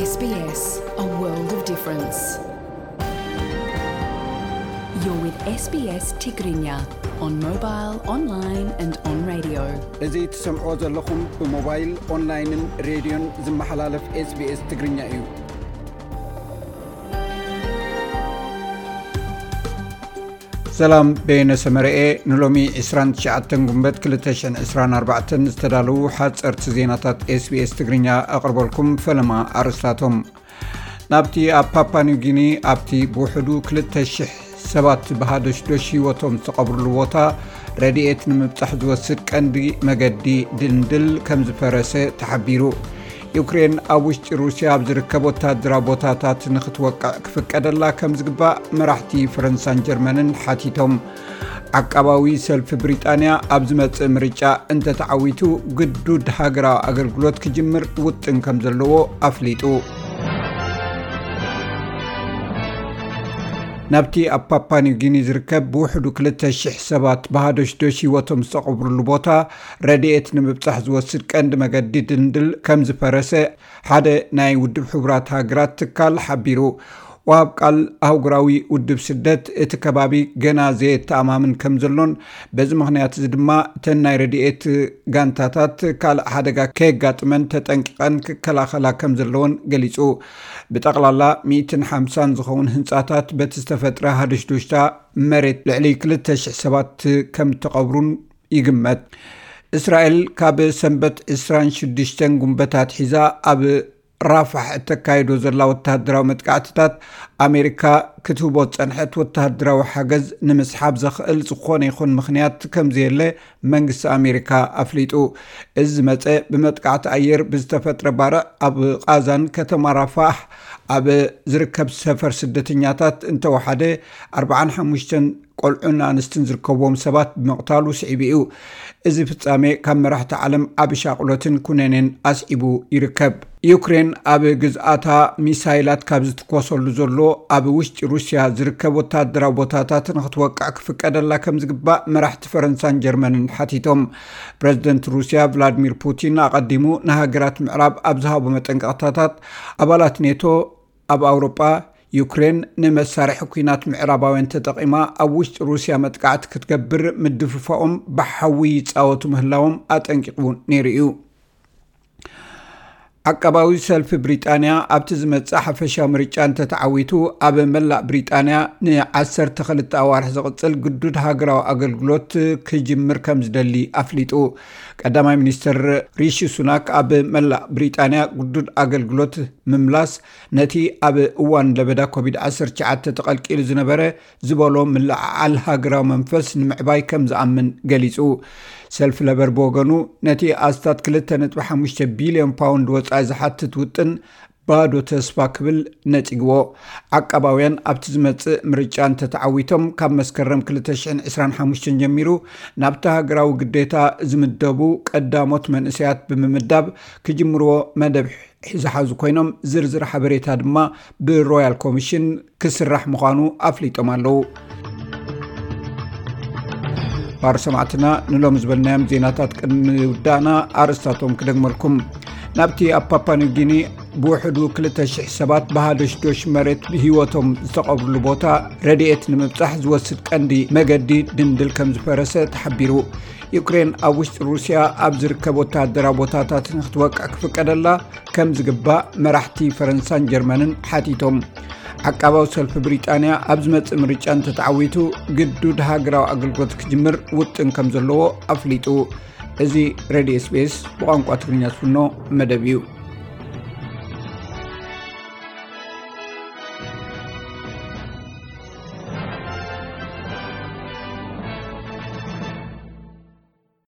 S B S, a world of difference. You're with S B S Tigrinya on mobile, online and on radio. እዚ ትሰምዖ ዘለኹም ብሞባይል፣ ኦንላይንን ሬድዮን ዝመሓላለፍ S B S ትግርኛ እዩ። ሰላም፣ በየነ ሰመረኤ። ንሎሚ ዕስራን ትሽዓተን ጉንበት ክልተ ሽሕን ዕስራን ኣርባዕተን ዝተዳለዉ ሓጸርቲ ዜናታት S B S ትግርኛ ኣቕርበልኩም። ፈለማ ኣርእስታቶም። ናብቲ ኣብ ፓፓ ኒው ጊኒ ኣብቲ ብውሕዱ ክልተ ሽሕ ሰባት ብሃዶሽዶሽ ህይወቶም ዝተቐብርሉ ቦታ ረድኤት ንምብጻሕ ዝወስድ ቀንዲ መገዲ ድልድል ከም ዝፈረሰ ተሓቢሩ። ዩክሬን ኣብ ውሽጢ ሩስያ ኣብ ዝርከብ ወታደራዊ ቦታታት ንክትወቅዕ ክፍቀደላ ከም ዝግባእ መራሕቲ ፈረንሳን ጀርመንን ሓቲቶም። ዓቃባዊ ሰልፊ ብሪጣንያ ኣብ ዝመጽእ ምርጫ እንተተዓዊቱ ግዱድ ሃገራዊ ኣገልግሎት ክጅምር ውጥን ከም ዘለዎ ኣፍሊጡ። ናብቲ ኣብ ፓፓ ኒው ጊኒ ዝርከብ ብውሕዱ ክልተ ሽሕ ሰባት ብሃዶሽዶሽ ህይወቶም ዝተቐብርሉ ቦታ ረድኤት ንምብጻሕ ዝወስድ ቀንዲ መገዲ ድልድል ከም ዝፈረሰ ሓደ ናይ ውድብ ሕቡራት ሃገራት ትካል ሓቢሩ። ወሃብ ቃል ኣህጉራዊ ውድብ ስደት እቲ ከባቢ ገና ዘየተኣማምን ከም ዘሎን በዚ ምኽንያት እዚ ድማ እተን ናይ ረድኤት ጋንታታት ካልእ ሓደጋ ከየጋጥመን ተጠንቂቐን ክከላኸላ ከም ዘለዎን ገሊጹ። ብጠቕላላ ሚእትን ሓምሳን ዝኸውን ህንጻታት በቲ ዝተፈጥረ ሃደሽዶሽታ መሬት ልዕሊ ክልተ ሽሕ ሰባት ከም እተቐብሩን ይግመት። እስራኤል ካብ ሰንበት ዕስራን ሽዱሽተን ጉንበት ኣትሒዛ ኣብ ራፋሕ እተካይዶ ዘላ ወተሃደራዊ መጥቃዕትታት ኣሜሪካ ክትህቦ ዝጸንሐት ወተሃደራዊ ሓገዝ ንምስሓብ ዘኽእል ዝኾነ ይኹን ምኽንያት ከም ዘየለ መንግስቲ ኣሜሪካ ኣፍሊጡ። እዚ ዝመጸ ብመጥቃዕቲ ኣየር ብዝተፈጥረ ባርዕ ኣብ ቓዛን ከተማ ራፋሕ ኣብ ዝርከብ ሰፈር ስደተኛታት እንተወሓደ ኣርባዓን ሓሙሽተን ቆልዑን ኣንስትን ዝርከብዎም ሰባት ብምቕታሉ ስዒቡ እዩ። እዚ ፍጻሜ ካብ መራሕቲ ዓለም ዓቢ ሻቕሎትን ኩነኔን ኣስዒቡ ይርከብ። ዩክሬን ኣብ ግዝኣታ ሚሳይላት ካብ ዝትኮሰሉ ዘሎ ኣብ ውሽጢ ሩስያ ዝርከብ ወታደራዊ ቦታታት ንክትወቅዕ ክፍቀደላ ከም ዝግባእ መራሕቲ ፈረንሳን ጀርመንን ሓቲቶም። ፕረዚደንት ሩስያ ቭላድሚር ፑቲን ኣቐዲሙ ንሃገራት ምዕራብ ኣብ ዝሃቦ መጠንቀቕታታት ኣባላት ኔቶ ኣብ ኣውሮጳ ዩክሬን ንመሳርሒ ኲናት ምዕራባውያን ተጠቒማ ኣብ ውሽጢ ሩስያ መጥቃዕቲ ክትገብር ምድፍፋኦም ብሓዊ ይጻወቱ ምህላዎም ኣጠንቂቑ ነይሩ እዩ። ዓቃባዊ ሰልፊ ብሪጣንያ ኣብቲ ዝመጽእ ሓፈሻዊ ምርጫ እንተተዓዊቱ ኣብ መላእ ብሪጣንያ ንዓሰርተ ክልተ ኣዋርሕ ዝቕጽል ግዱድ ሃገራዊ ኣገልግሎት ክጅምር ከም ዝደሊ ኣፍሊጡ። ቀዳማይ ሚኒስትር ሪሺ ሱናክ ኣብ መላእ ብሪጣንያ ግዱድ ኣገልግሎት ምምላስ ነቲ ኣብ እዋን ለበዳ ኮቪድ ዓሰርተ ትሽዓተ ተቐልቂሉ ዝነበረ ዝበሎ ምልዕዓል ሃገራዊ መንፈስ ንምዕባይ ከም ዝኣምን ገሊጹ። ሰልፊ ለበር ብወገኑ ነቲ ኣስታት ክልተ ነጥቢ ሓሙሽተ ቢልዮን ፓውንድ ወጻኢ ዝሓትት ውጥን ባዶ ተስፋ ክብል ነጺግዎ። ዓቃባውያን ኣብቲ ዝመጽእ ምርጫ እንተተዓዊቶም ካብ መስከረም ክልተ ሽሕን ዕስራን ሓሙሽተን ጀሚሩ ናብቲ ሃገራዊ ግዴታ ዝምደቡ ቀዳሞት መንእሰያት ብምምዳብ ክጅምርዎ መደብ ዝሓዙ ኮይኖም ዝርዝር ሓበሬታ ድማ ብሮያል ኮሚሽን ክስራሕ ምዃኑ ኣፍሊጦም ኣለዉ። ባር ሰማዕትና ንሎም ዝበልናዮም ዜናታት ቅድሚ ውዳእና ኣርእስታቶም ክደግመልኩም። ናብቲ ኣብ ፓፓ ኒው ጊኒ ብውሕዱ ክልተ ሽሕ ሰባት ብሃደሽዶሽ መሬት ብህይወቶም ዝተቐብርሉ ቦታ ረድኤት ንምብጻሕ ዝወስድ ቀንዲ መገዲ ድንድል ከም ዝፈረሰ ተሓቢሩ። ዩክሬን ኣብ ውሽጢ ሩስያ ኣብ ዝርከብ ወተሃደራዊ ቦታታት ንክትወቅዕ ክፍቀደላ ከም ዝግባእ መራሕቲ ፈረንሳን ጀርመንን ሓቲቶም። ዓቃባዊ ሰልፊ ብሪጣንያ ኣብ ዝመጽእ ምርጫ እንተተዓዊቱ ግዱድ ሃገራዊ ኣገልግሎት ክጅምር ውጥን ከም ዘለዎ ኣፍሊጡ። እዚ ሬድዮ S B S ብቋንቋ ትግርኛ ዝፍኖ መደብ እዩ።